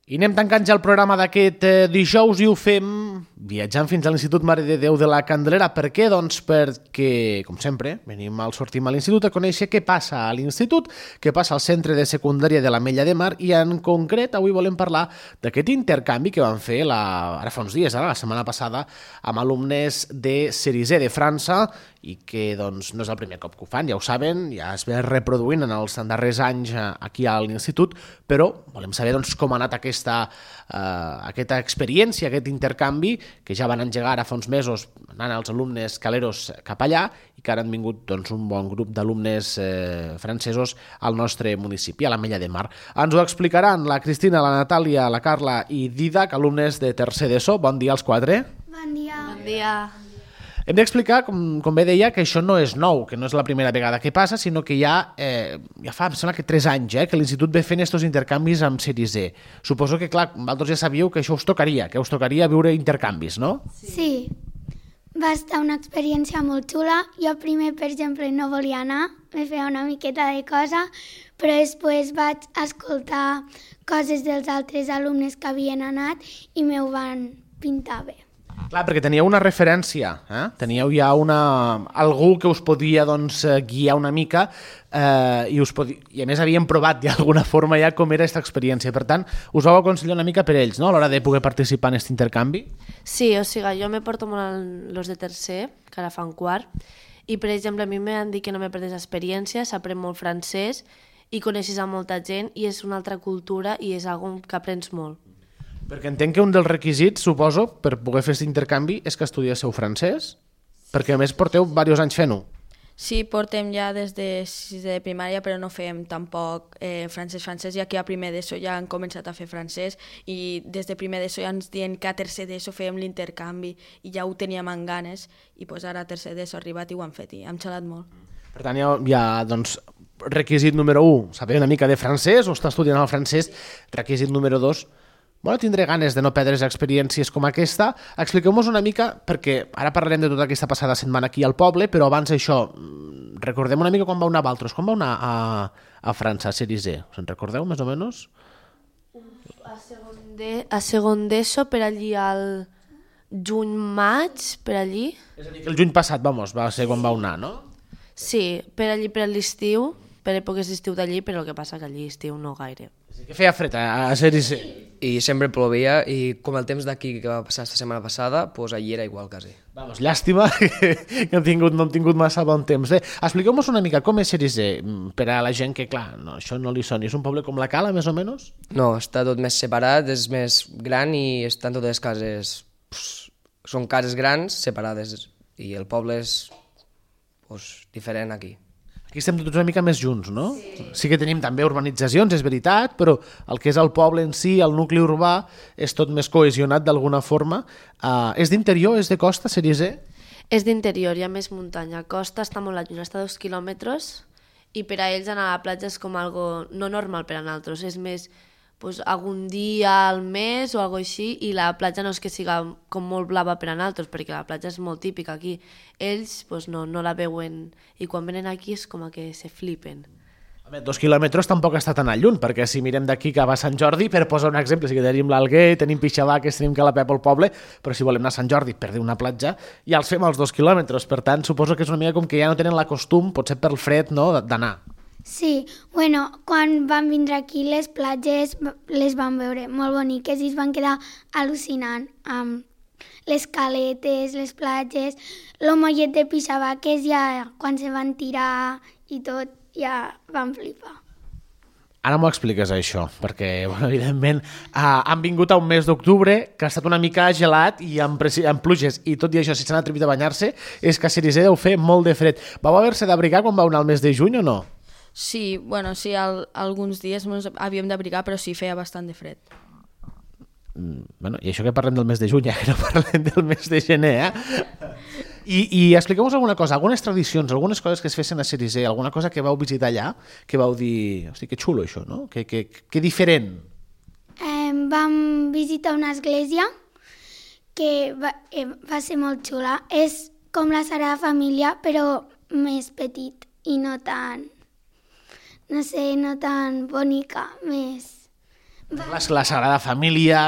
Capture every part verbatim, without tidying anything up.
I anem tancant ja el programa d'aquest eh, dijous i ho fem viatjant fins a l'Institut Mare de Déu de la Candelera. Per què? Doncs perquè, com sempre, venim al sortim a l'institut a conèixer què passa a l'institut, què passa al centre de secundària de l'Ametlla de Mar i en concret avui volem parlar d'aquest intercanvi que van fer la, ara fa uns dies, ara, la setmana passada, amb alumnes de Cerisé de França i que doncs, no és el primer cop que ho fan, ja ho saben, ja es ve reproduint en els darrers anys aquí a l'institut, però volem saber doncs, com ha anat aquesta, uh, aquesta experiència, aquest intercanvi, que ja van engegar ara fa uns mesos anant els alumnes caleros cap allà i que ara han vingut doncs, un bon grup d'alumnes eh, francesos al nostre municipi, a l'Ametlla de Mar. Ens ho explicaran la Cristina, la Natàlia, la Carla i Didac, alumnes de tercer d'ESO. Bon dia als quatre. Bon dia. Bon dia. Hem d'explicar, com, com bé deia, que això no és nou, que no és la primera vegada que passa, sinó que ja, eh, ja fa, em sembla que tres anys, eh, que l'Institut ve fent aquests intercanvis amb Cerisé. Suposo que, clar, vosaltres ja sabíeu que això us tocaria, que us tocaria viure intercanvis, no? Sí. sí. Va estar una experiència molt xula. Jo primer, per exemple, no volia anar, me feia una miqueta de cosa, però després vaig escoltar coses dels altres alumnes que havien anat i m'ho van pintar bé. Clar, perquè teníeu una referència, eh? Teníeu ja una... algú que us podia doncs, guiar una mica eh, i, us podia... i a més havien provat d'alguna forma ja com era aquesta experiència. Per tant, us vau aconsellar una mica per ells, no?, a l'hora de poder participar en aquest intercanvi? Sí, o sigui, jo me porto molt els de tercer, que ara fan quart, i per exemple a mi m'han dit que no me perdés experiència, s'aprèn molt francès i coneixes a molta gent i és una altra cultura i és algo que aprens molt. Perquè entenc que un dels requisits, suposo, per poder fer aquest intercanvi és que estudiéssiu francès, perquè a més porteu diversos anys fent-ho. Sí, portem ja des de sisè de primària, però no fem tampoc eh, francès-francès, ja que a primer d'ESO ja han començat a fer francès i des de primer d'ESO ja ens diuen que a tercer d'ESO fèiem l'intercanvi i ja ho teníem en ganes i pues ara a tercer d'ESO ha arribat i ho han fet i hem xalat molt. Per tant, hi ha, hi ha doncs, requisit número un, saber una mica de francès o estar estudiant el francès. Requisit número dos, bueno, tindré ganes de no perdre's experiències com aquesta. Expliqueu-nos una mica, perquè ara parlarem de tota aquesta passada setmana aquí al poble, però abans això, recordem una mica quan vau anar a Valtros, quan vau anar a, a França, a Cerisé. Us en recordeu, més o menys? A segon de, a segon d'ESO, per allí al juny-maig, per allí. És a dir, que el juny passat, vamos, va ser quan vau anar, no? Sí, per allí per l'estiu, per èpoques d'estiu d'allí, però el que passa que allí estiu no gaire. Que feia fred a Cerisé. I sempre plovia i com el temps d'aquí que va passar esta setmana passada, doncs allí era igual quasi. Vamos, llàstima que hem tingut, no hem tingut massa bon temps. Bé, expliqueu-nos una mica com és Cerisé, per a la gent que, clar, no, això no li soni. És un poble com la Cala, més o menys? No, està tot més separat, és més gran i estan totes les cases... Pues, són cases grans separades i el poble és pues, diferent aquí. Aquí estem tots una mica més junts, no? Sí. Sí que tenim també urbanitzacions, és veritat, però el que és el poble en si, el nucli urbà, és tot més cohesionat d'alguna forma. Uh, és d'interior, és de costa, Cerisé? És d'interior, hi ha més muntanya. Costa està molt lluny, està a dos quilòmetres i per a ells anar a la platja és com algo no normal per a nosaltres, és més pues, algun dia al mes o algo així i la platja no és que siga com molt blava per a nosaltres perquè la platja és molt típica aquí. Ells pues, no, no la veuen i quan venen aquí és com que se flipen. A veure, dos quilòmetres tampoc està tan al lluny, perquè si mirem d'aquí que va a Sant Jordi, per posar un exemple, sí que tenim l'Alguer, tenim Pixavaques, tenim Calapep al poble, però si volem anar a Sant Jordi per dir una platja, ja els fem als dos quilòmetres, per tant suposo que és una mica com que ja no tenen la costum, potser pel fred, no, d'anar. Sí, bueno, quan van vindre aquí les platges les van veure molt boniques i es van quedar al·lucinant amb les caletes, les platges, el mollet de Pixavaques ja quan se van tirar i tot ja van flipar. Ara m'ho expliques això, perquè bueno, evidentment eh, han vingut a un mes d'octubre que ha estat una mica gelat i amb, amb pluges i tot i això si s'han atrevit a banyar-se és que a Cerisé deu fer molt de fred. Vau haver-se d'abrigar quan vau anar al mes de juny o no? Sí, bueno, sí, al, alguns dies ens havíem d'abrigar, però sí, feia bastant de fred. Mm, bueno, i això que parlem del mes de juny, ja que no parlem del mes de gener, eh? I, i expliqueu-nos alguna cosa, algunes tradicions, algunes coses que es fessin a Cerisé, alguna cosa que vau visitar allà, que vau dir, hosti, que xulo això, no? Que, que, que diferent. Eh, vam visitar una església que va, eh, va ser molt xula. És com la Sagrada Família, però més petit i no tan... no sé, no tan bonica, més, La, la Sagrada Família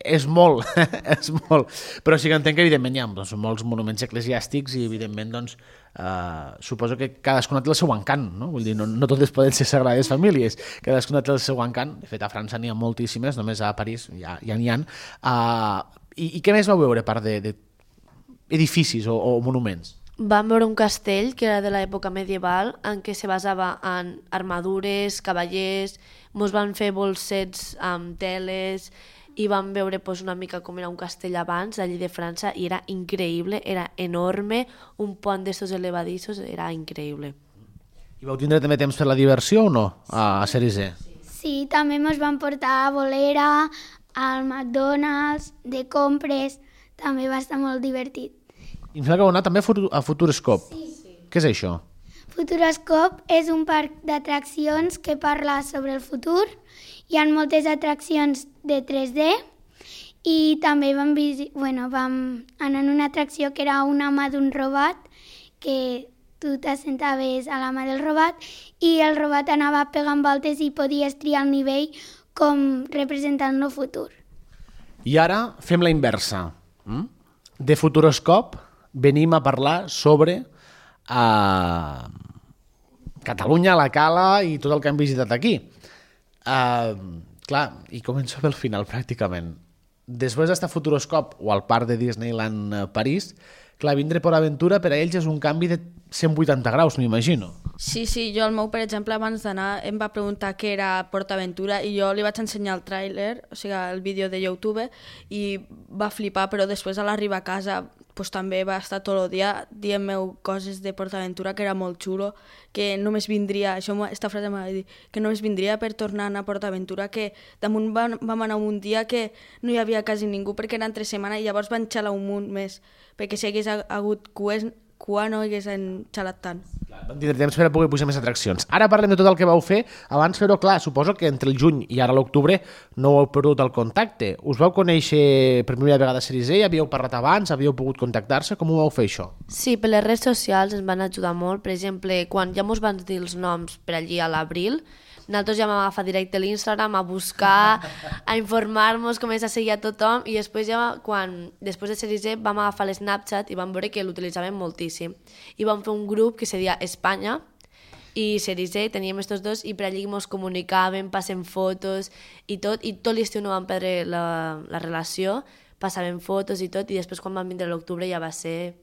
és molt, és molt. Però sí que entenc que, evidentment, hi ha doncs, molts monuments eclesiàstics i, evidentment, doncs, eh, suposo que cadascuna té el seu encant, no? Vull dir, no, no totes poden ser Sagrades Famílies, cadascuna té el seu encant. De fet, a França n'hi ha moltíssimes, només a París ja ja n'hi ha. Uh, i, I què més vau veure, a part de, de edificis o, o monuments? Vam veure un castell que era de l'època medieval en què se basava en armadures, cavallers, mos van fer bolsets amb teles i vam veure pues, una mica com era un castell abans, allí de França, i era increïble, era enorme, un pont d'estos elevadissos, era increïble. I vau tindre també temps per la diversió o no, a Cerisé? Sí, també ens van portar a Bolera, al McDonald's, de compres, també va estar molt divertit. I em sembla que heu anat també a Futuroscope. Sí. sí. Què és això? Futuroscope és un parc d'atraccions que parla sobre el futur. Hi ha moltes atraccions de tres D i també vam, bueno, vam anar en una atracció que era una mà d'un robot, que tu t'assentaves a la mà del robot i el robot anava pegant voltes i podies triar el nivell com representant el futur. I ara fem la inversa. De Futuroscope venim a parlar sobre uh, Catalunya, la Cala i tot el que hem visitat aquí. Uh, clar, i començo pel final pràcticament. Després d'estar a Futuroscope o al parc de Disneyland uh, París, clar, vindre per aventura per a ells és un canvi de cent vuitanta graus, m'imagino. Sí, sí, jo el meu, per exemple, abans d'anar em va preguntar què era PortAventura i jo li vaig ensenyar el tràiler, o sigui, el vídeo de YouTube, i va flipar, però després a l'arribar a casa pues, també va estar tot el dia dient-me coses de PortAventura que era molt xulo, que només vindria, això, esta frase m'ha dit, que només vindria per tornar a anar a PortAventura, que damunt vam, vam anar un dia que no hi havia quasi ningú perquè era entre setmana i llavors van xalar un munt més, perquè si hagués hagut cues, cua no haguessin xalat tant. Vam tindre temps per a poder pujar més atraccions. Ara parlem de tot el que vau fer. Abans fer-ho, clar, suposo que entre el juny i ara l'octubre no heu perdut el contacte. Us vau conèixer per primera vegada a Cerisé? Havíeu parlat abans? Havíeu pogut contactar-se? Com ho vau fer, això? Sí, per les redes socials ens van ajudar molt. Per exemple, quan ja mos van dir els noms per allí a l'abril, nosaltres ja vam agafar directe l'Instagram a buscar, a informar-nos, començar a seguir a tothom i després ja, quan, després de Cerisé, vam agafar l'Snapchat i vam veure que l'utilitzàvem moltíssim. I vam fer un grup que se deia Espanya i Cerisé, teníem estos dos i per allí ens comunicàvem, passem fotos i tot, i tot l'estiu no vam perdre la, la relació, passàvem fotos i tot, i després quan vam vindre a l'octubre ja va ser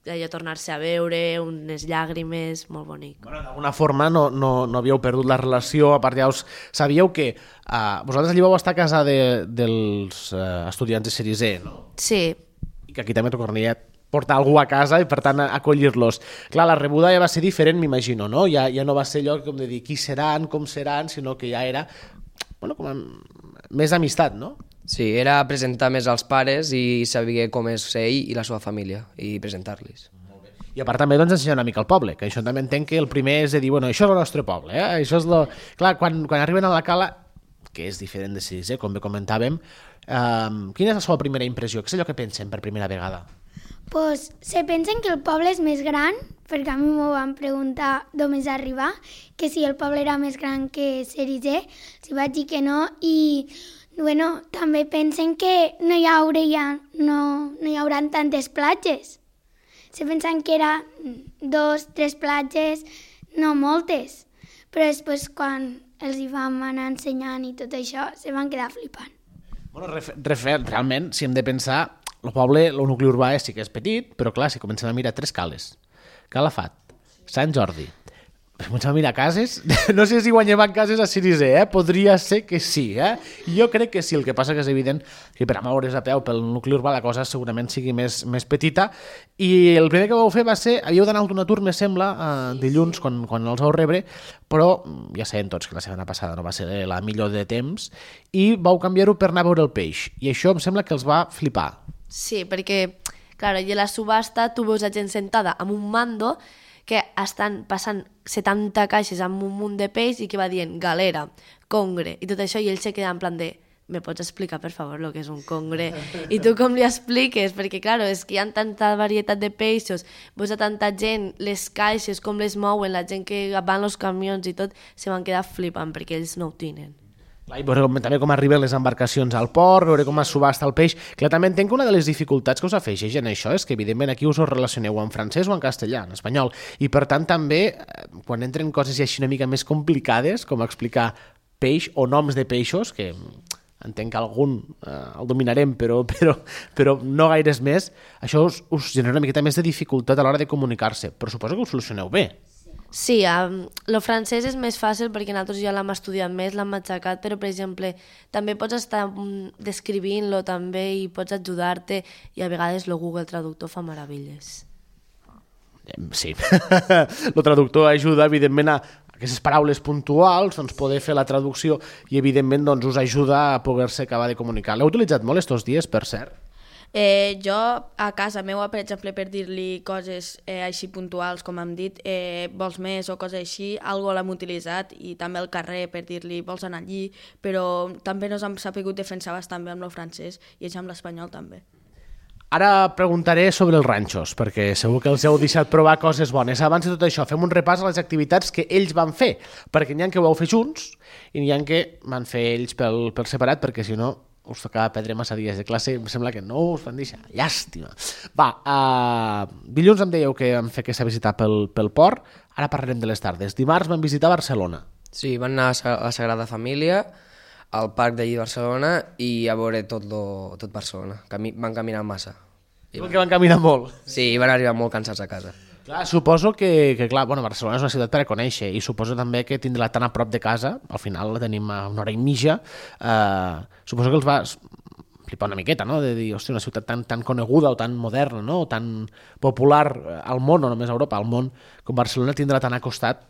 allò tornar-se a veure, unes llàgrimes, molt bonic. Bueno, d'alguna forma no, no, no havíeu perdut la relació, a part ja us sabíeu que uh, vosaltres allí vau estar a casa de, dels uh, estudiants de Cerisé, no? Sí. I que aquí també tocaria portar algú a casa i per tant acollir-los. Clar, la rebuda ja va ser diferent, m'imagino, no? Ja, ja no va ser allò com de dir qui seran, com seran, sinó que ja era bueno, com a, més amistat, no? Sí, era presentar més als pares i saber com és ell i la seva família i presentar-los. I a part també doncs, ensenyar una mica el poble, que això també entenc que el primer és de dir, bueno, això és el nostre poble, eh? Això és lo... Clar, quan, quan arriben a la Cala, que és diferent de Cerisé, com bé comentàvem, eh, quina és la seva primera impressió? Què és allò que pensen per primera vegada? Pues se pensen que el poble és més gran, perquè a mi m'ho van preguntar d'on és arribar, que si el poble era més gran que Cerisé, si vaig dir que no, i bueno, també pensen que no hi, hauria, no, no hi haurà tantes platges. Se pensen que era dos, tres platges, no moltes, però després quan els hi vam anar ensenyant i tot això, se van quedar flipant. Bueno, ref, ref, realment, si hem de pensar, el poble, el nucli urbà sí que és petit, però clar, si comencem a mirar tres cales, Calafat, Sant Jordi, comencem a mirar cases, no sé si guanyem cases a Cerisé, eh? Podria ser que sí, eh? Jo crec que sí, el que passa que és evident que per a moure's a peu pel nucli urbà la cosa segurament sigui més, més petita, i el primer que vau fer va ser, havíeu d'anar a un atur, me sembla, eh, dilluns, quan, quan els vau rebre, però ja sabem tots que la setmana passada no va ser la millor de temps, i vau canviar-ho per anar a veure el peix, i això em sembla que els va flipar. Sí, perquè, clar, allà a la subhasta tu veus a gent sentada amb un mando que estan passant setanta caixes amb un munt de peix i que va dient galera, congre i tot això, i ell se queda en plan de ¿me pots explicar, per favor, el que és un congre? I tu com li expliques? Perquè, clar, és que hi ha tanta varietat de peixos, veus a tanta gent, les caixes, com les mouen, la gent que van els camions i tot, se van quedar flipant perquè ells no ho tenen. Clar, i veure com, també com arriben les embarcacions al port, veure com es subhasta el peix. Clar, també entenc que una de les dificultats que us afegeix en això és que, evidentment, aquí us ho relacioneu en francès o en castellà, en espanyol, i per tant també, quan entren coses ja així una mica més complicades, com explicar peix o noms de peixos, que entenc que algun eh, el dominarem, però, però, però no gaires més, això us, us genera una miqueta més de dificultat a l'hora de comunicar-se, però suposo que ho solucioneu bé. Sí, um, el francès és més fàcil perquè nosaltres ja l'hem estudiat més, l'hem matxacat, però, per exemple, també pots estar um, descrivint-lo també i pots ajudar-te i a vegades el Google Traductor fa meravelles. Sí, el traductor ajuda, evidentment, a aquestes paraules puntuals, doncs, poder fer la traducció i, evidentment, doncs, us ajuda a poder-se acabar de comunicar. L'heu utilitzat molt estos dies, per cert? Eh, jo a casa meva, per exemple, per dir-li coses eh, així puntuals, com hem dit, eh, vols més o coses així, algo l'hem utilitzat, i també al carrer per dir-li vols anar allí, però també nos hem sapigut defensar bastant bé amb el francès i amb l'espanyol també. Ara preguntaré sobre els ranxos, perquè segur que els heu deixat provar coses bones. Abans de tot això, fem un repàs a les activitats que ells van fer, perquè n'hi ha que ho vau fer junts i n'hi ha que van fer ells pel, per separat, perquè si no us tocava perdre massa dies de classe, em sembla que no us van deixar. Llàstima. Va, uh, dilluns em dèieu que vam fer aquesta visita pel, pel port, ara parlarem de les tardes. Dimarts vam visitar Barcelona. Sí, van anar a la Sagrada Família, al parc d'allí de Barcelona i a veure tot, lo, tot Barcelona. Cami van caminar massa. I van... que van caminar molt. Sí, van arribar molt cansats a casa. Clar, suposo que, que clar, bueno, Barcelona és una ciutat per a conèixer i suposo també que tindrà tan a prop de casa, al final la tenim a una hora i mitja, eh, suposo que els va flipar una miqueta, no?, de dir, hòstia, una ciutat tan, tan coneguda o tan moderna, no?, o tan popular al món, no només a Europa, al món, com Barcelona tindrà tan a costat,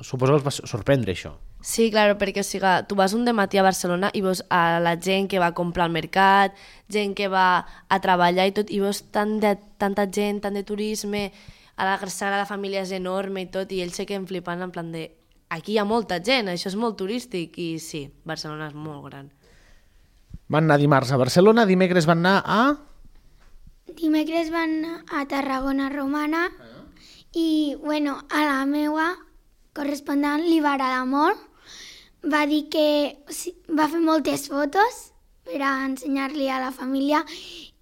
suposo que els va sorprendre això. Sí, clar, perquè o sigui, tu vas un dematí a Barcelona i veus a la gent que va a comprar al mercat, gent que va a treballar i tot, i veus tant de, tanta gent, tant de turisme, a la Sagrada Família és enorme i tot, i ells se queden flipant en plan de aquí hi ha molta gent, això és molt turístic, i sí, Barcelona és molt gran. Van anar dimarts a Barcelona, dimecres van anar a... Dimecres van anar a Tarragona Romana i, bueno, a la meua correspondent li va agradar molt. Va dir que va fer moltes fotos per a ensenyar-li a la família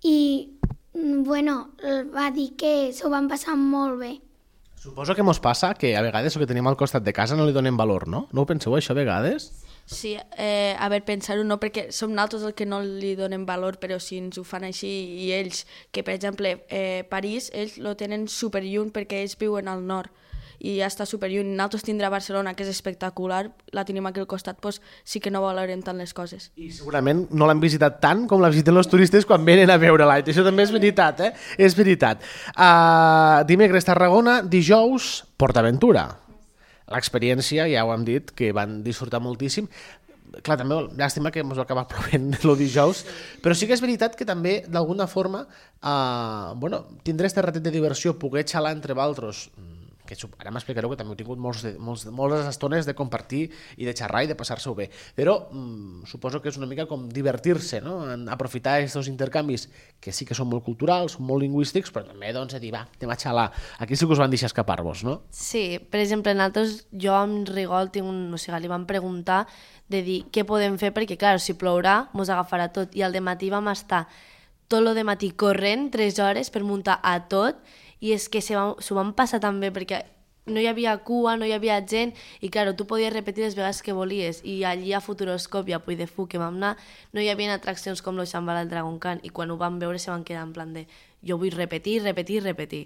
i, bueno, va dir que s'ho van passar molt bé. Suposo que mos passa que a vegades el que tenim al costat de casa no li donem valor, no? No ho penseu això a vegades? Sí, eh, a veure, pensar-ho no, perquè som nosaltres els que no li donem valor, però si ens ho fan així i ells, que per exemple eh, París, ells lo tenen superlluny perquè ells viuen al nord i ja està superlluny. Nosaltres tindrà Barcelona, que és espectacular, la tenim aquí al costat, doncs sí que no valorem tant les coses. I segurament no l'han visitat tant com la visiten els turistes quan venen a veure-la. Això també és veritat, eh? És veritat. Uh, dimecres Tarragona, dijous PortAventura. L'experiència, ja ho hem dit, que van disfrutar moltíssim. Clar, també llàstima que ens va acabar plovent el dijous, però sí que és veritat que també, d'alguna forma, eh, bueno, tindré este ratet de diversió, poder xalar entre vosaltres, que ara m'explicareu que també heu tingut molts de, molts, moltes estones de compartir i de xerrar i de passar-se-ho bé, però mm, suposo que és una mica com divertir-se, no? En aprofitar aquests intercanvis que sí que són molt culturals, són molt lingüístics, però també doncs a dir, va, anem a xalar. Aquí sí que us van deixar escapar-vos, no? Sí, per exemple, nosaltres, jo amb Rigol tinc un, o sigui, li vam preguntar de dir què podem fer, perquè clar, si plourà mos agafarà tot, i al dematí vam estar tot el dematí corrent tres hores per muntar a tot, i és que s'ho van passar tan bé perquè no hi havia cua, no hi havia gent i clar, tu podies repetir les vegades que volies i allí a Futuroscope i a Puy de Fou que vam anar no hi havia atraccions com lo Xambal al Dragon Khan i quan ho van veure se van quedar en plan de jo vull repetir, repetir, repetir.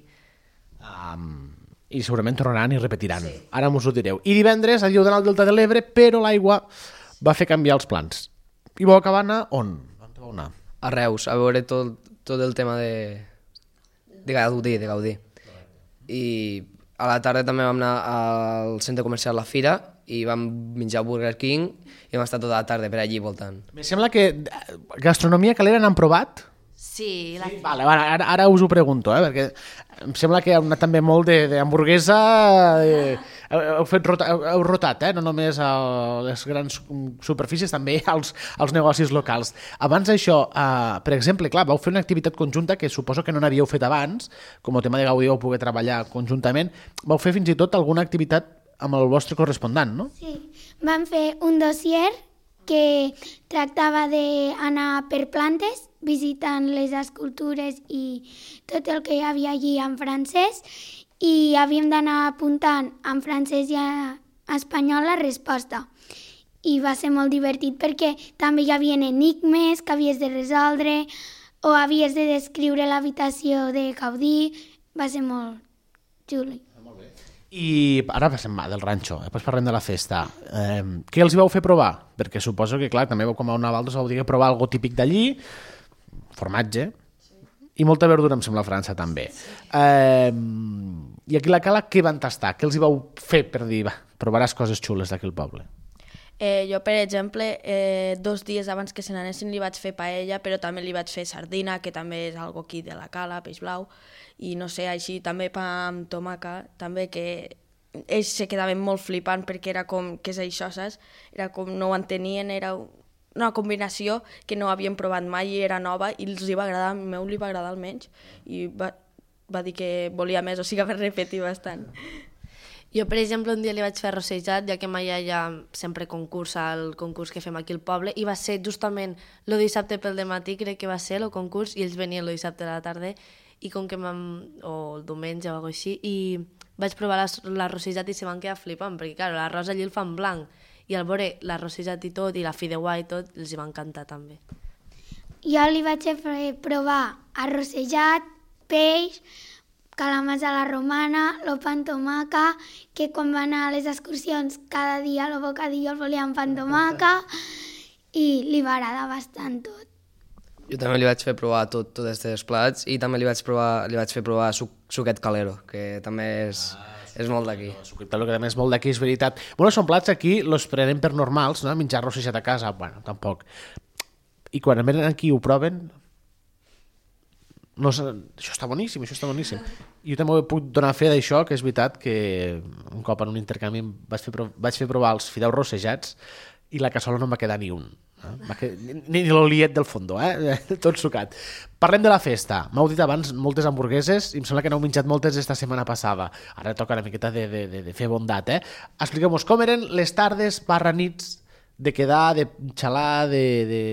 Um, I segurament tornaran i repetiran. Sí. Ara m'us ho direu. I divendres havíeu d'anar al Delta de l'Ebre, però l'aigua va fer canviar els plans. I vau acabar anar on? On vau anar? A Reus, a veure tot, tot el tema de... de Gaudí, de Gaudí. I a la tarda també vam anar al centre comercial La Fira i vam menjar Burger King i vam estar tota la tarda per allí voltant. Me sembla que gastronomia calera n'han provat? Sí. La... sí vale, ara, ara us ho pregunto, eh, perquè em sembla que heu anat també molt d'hamburguesa, eh, heu, fet rota, heu, heu rotat, eh, no només a les grans superfícies, també als, als negocis locals. Abans d'això, eh, per exemple, clar, vau fer una activitat conjunta que suposo que no n'havíeu fet abans, com el tema de Gaudí vau poder treballar conjuntament, vau fer fins i tot alguna activitat amb el vostre correspondent, no? Sí, vam fer un dossier que tractava d'anar per plantes, visitant les escultures i tot el que hi havia allí en francès, i havíem d'anar apuntant en francès i en espanyol la resposta. I va ser molt divertit perquè també hi havia enigmes que havies de resoldre o havies de descriure l'habitació de Gaudí. Va ser molt xulo. I ara passem del ranxo, després parlem de la festa. Eh, què els hi vau fer provar? Perquè suposo que, clar, també com a una Valdos vau dir que provar algo típic d'allí, formatge, i molta verdura, em sembla, a França també. Eh, I aquí a la Cala, què van tastar? Què els hi vau fer per dir, va, provaràs coses xules d'aquí al poble? Eh, jo, per exemple, eh, dos dies abans que se n'anessin li vaig fer paella, però també li vaig fer sardina, que també és algo aquí de la Cala, peix blau, i no sé, així també pa amb tomaca, també que ells se quedaven molt flipant perquè era com, què és això, saps? Era com, no ho entenien, era una combinació que no havien provat mai i era nova i els hi va agradar, a meu li va agradar almenys, i va, va dir que volia més, o sigui, va repetir bastant. Jo, per exemple, un dia li vaig fer arrossejat, ja que mai hi ha sempre concurs al concurs que fem aquí al poble, i va ser justament el dissabte pel dematí, crec que va ser el concurs, i ells venien el dissabte a la tarda, i com que vam... o el diumenge o alguna cosa així, i vaig provar l'arrossejat i se van quedar flipant, perquè, clar, l'arròs allí el fan blanc, i al veure l'arrossejat i tot, i la fideuà i tot, els hi va encantar també. Jo li vaig fer provar arrossejat, peix, calamars a la romana, lo pa amb tomaca, que quan va anar a les excursions cada dia el bocadillo el volia amb pa amb tomaca, i li va agradar bastant tot. Jo també li vaig fer provar tot, tots aquests plats i també li vaig, provar, li vaig fer provar suc, suquet calero, que també és, ah, sí, és molt d'aquí. Suquet calero, que també és molt d'aquí, és veritat. Bueno, són plats aquí, els prenem per normals, no? Menjar arrossejat a casa, bueno, tampoc. I quan venen aquí i ho proven, no, això està boníssim, això està boníssim. Jo també puc donar fe d'això, que és veritat que un cop en un intercanvi vaig fer, vaig fer provar els fideus rossejats i la cassola no em va quedar ni un. Eh? Va quedar, ni, ni l'oliet del fondo, eh? Tot sucat. Parlem de la festa. M'heu dit abans moltes hamburgueses i em sembla que n'heu menjat moltes esta setmana passada. Ara toca una miqueta de, de, de, de fer bondat. Eh? Expliqueu-nos com eren les tardes barra nits de quedar, de xalar, de... de...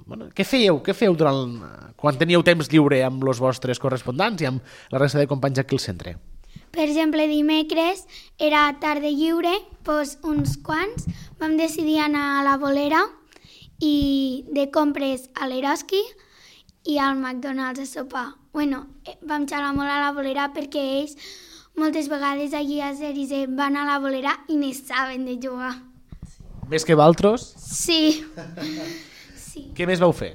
Bueno, què fèieu? Què fèieu durant... quan teníeu temps lliure amb els vostres correspondents i amb la resta de companys aquí al centre? Per exemple, dimecres era tarda lliure, doncs uns quants vam decidir anar a la Bolera i de compres a l'Eroski i al McDonald's a sopar. Bueno, vam xalar molt a la Bolera perquè ells moltes vegades allí a Zeris van a la Bolera i ne saben de jugar. Més que valtros? Sí. Sí. Què més vau fer?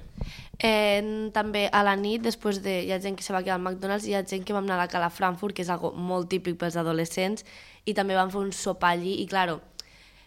Eh, també a la nit, després de... hi ha gent que se va quedar al McDonald's i hi ha gent que vam anar a la Cala Frankfurt, que és algo molt típic pels adolescents, i també vam fer un sopar allí, i claro,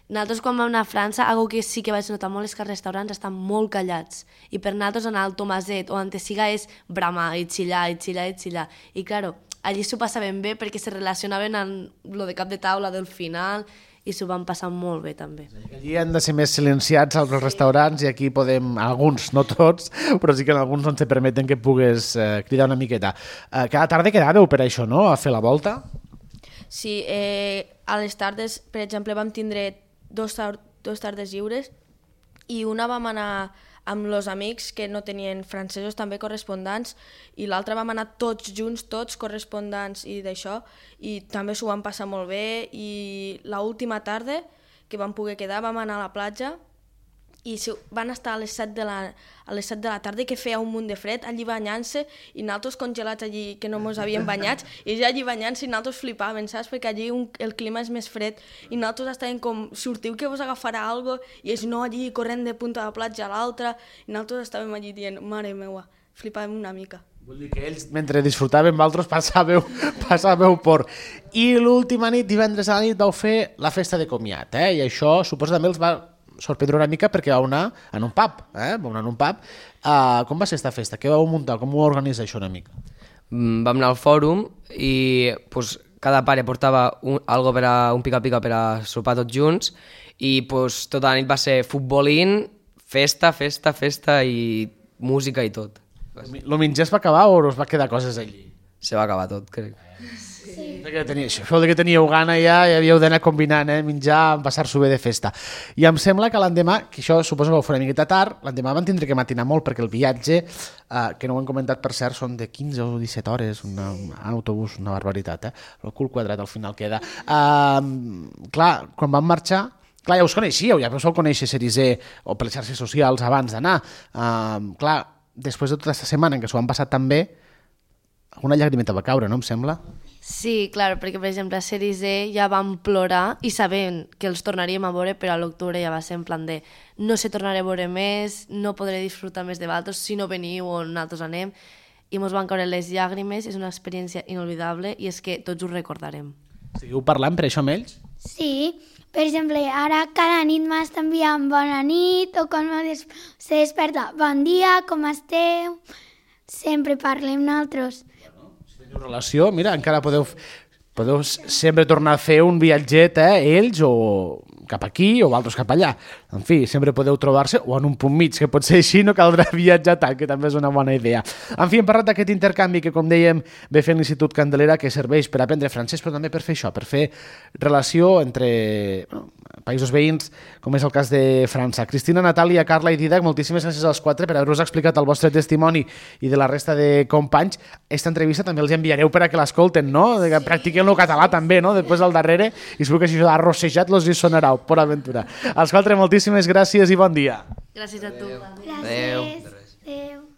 nosaltres quan vam anar a França, algo que sí que vaig notar molt és que els restaurants estan molt callats, i per nosaltres anar al Tomaset o on siga és bramar i xillar, i xillar, i xillar, i claro, allí s'ho passaven bé perquè se relacionaven amb lo de cap de taula del final, i s'ho van passar molt bé també. Allí han de ser més silenciats als restaurants i aquí podem, alguns, no tots, però sí que en alguns no ens permeten que pugues eh, cridar una miqueta. Eh, cada tarda quedàveu per això, no?, a fer la volta? Sí, eh, a les tardes, per exemple, vam tindre dos, tar dos tardes lliures i una vam anar amb els amics que no tenien francesos també correspondents i l'altra vam anar tots junts, tots correspondents i d'això, i també s'ho vam passar molt bé, i l'última tarda que vam poder quedar vam anar a la platja i van estar a les set de la, a les set de la tarda, que feia un munt de fred, allí banyant-se, i nosaltres congelats allí, que no ens havíem banyats, i ja allí banyant-se i nosaltres flipàvem, saps? Perquè allí un, el clima és més fred, i nosaltres estàvem com, sortiu que vos agafarà algo, i ells no, allí corrent de punta de la platja a l'altra, i nosaltres estàvem allí dient, mare meua, flipàvem una mica. Vull dir que ells, mentre disfrutaven, vosaltres passàveu, passàveu por. I l'última nit, divendres a la nit, vau fer la festa de comiat, eh? I això suposa també els va sorprendre una mica perquè vau anar en un pub, eh? Vau anar en un pub. Uh, com va ser esta festa? Què vau muntar? Com ho organitza això una mica? Mm, vam anar al fòrum i pues, cada pare portava un, algo per a, un pica-pica per a sopar tots junts i pues, tota la nit va ser futbolín, festa, festa, festa i música i tot. Lo menjar es va acabar o us va quedar coses allí? Se va acabar tot, crec. Sí. Que tenia, això vol dir que teníeu gana ja i havíeu d'anar combinant, eh? Menjar, passar-s'ho bé de festa. I em sembla que l'endemà, que això suposo que ho faré una miqueta tard, l'endemà van tindre que matinar molt perquè el viatge, eh, que no ho hem comentat per cert, són de quinze o disset hores una, en autobús, una barbaritat, eh? El cul quadrat al final queda. Uh, clar, quan van marxar, clar, ja us coneixíeu, ja us heu conèixer Cerisé o per les xarxes socials abans d'anar. Uh, clar, després de tota aquesta setmana en què s'ho han passat tan bé, una llagrimeta va caure, no em sembla? Sí, clar, perquè per exemple a Cerisé ja vam plorar i sabent que els tornaríem a veure, però a l'octubre ja va ser en plan de no se tornaré a veure més, no podré disfrutar més de vosaltres, si no veniu o nosaltres anem, i mos van caure les llàgrimes, és una experiència inolvidable i és que tots ho recordarem. Seguiu parlant per això amb ells? Sí, per exemple, ara cada nit m'està enviant bona nit o quan des se desperta, bon dia, com esteu? Sempre parlem nosaltres. Teniu relació, mira, encara podeu, podeu sempre tornar a fer un viatget, eh, ells o cap aquí o altres cap allà. En fi, sempre podeu trobar-se o en un punt mig, que pot ser així, no caldrà viatjar tant, que també és una bona idea. En fi, hem parlat d'aquest intercanvi que, com dèiem, ve fent l'Institut Candelera, que serveix per aprendre francès, però també per fer això, per fer relació entre bueno, països veïns, com és el cas de França. Cristina, Natàlia, Carla i Didac, moltíssimes gràcies als quatre per haver-vos explicat el vostre testimoni i de la resta de companys. Esta entrevista també els enviareu per a que l'escolten, no? Que practiquen el català també, no? Després al darrere, i segur que això d'arrossejat los hi sonarà, por aventura. Als quatre, moltíssimes gràcies i bon dia. Gràcies a tu. Gràcies. Adéu.